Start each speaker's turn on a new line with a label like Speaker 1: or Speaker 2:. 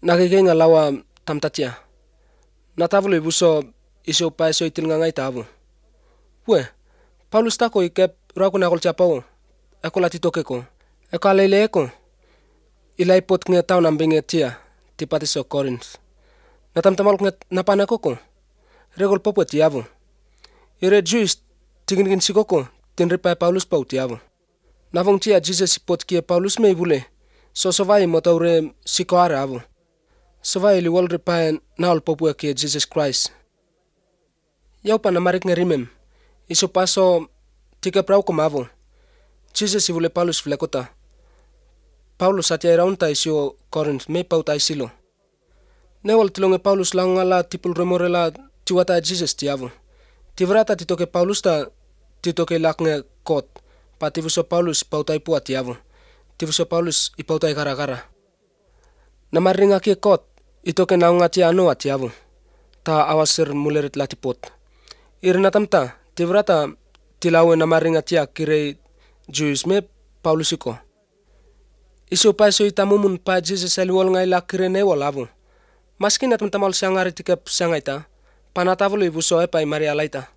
Speaker 1: Nakikinga lawa tamtatia. Natavulu ibuso iso paso itil ngai tavu. We, Paulus tako ikep rakuna kol chapao. Eko latitoke ko. Eko alele eko. Ilai pot nge tau nambinge tia tipati so Corinth. Natamtamal nge napana koko. Regol popo tiavu. Ire Jews tingin sikoko tinripai Paulus pau tiavu. Navong tia Jesus pot kia Paulus me ibule. So sovai motaure sikoare avu. Sovai liwal ripai naol popo kia Jesus Christ. Yau pa namarik nge rimem. Iso paso tika prau komavu. Jesus ibule Paulus flekota. Paulus atia iraunta isio Corinth me pau tai silo. Newal tilonge Paulus langala tipul remorela tiwata Jesus tiavu. Tivrata titoke Paulus ta titoke laknge kot. Pa tivuso Paulus pautai puat tiavu. Tivuso Paulus ipautai gara-gara. Namaringa kie kot itoke naunga tia anoa tiavu. Ta awasir mulerit latipot. Irinatamta tivrata tilawe namaringa tia kirei Jews me Paulusiko. Isu paiso itamumun pa Jesus aliwal ngai la kirene walavu. Maski natamtamal siangari tikep siangaita. Panatavulu ibuso epai Maria laita.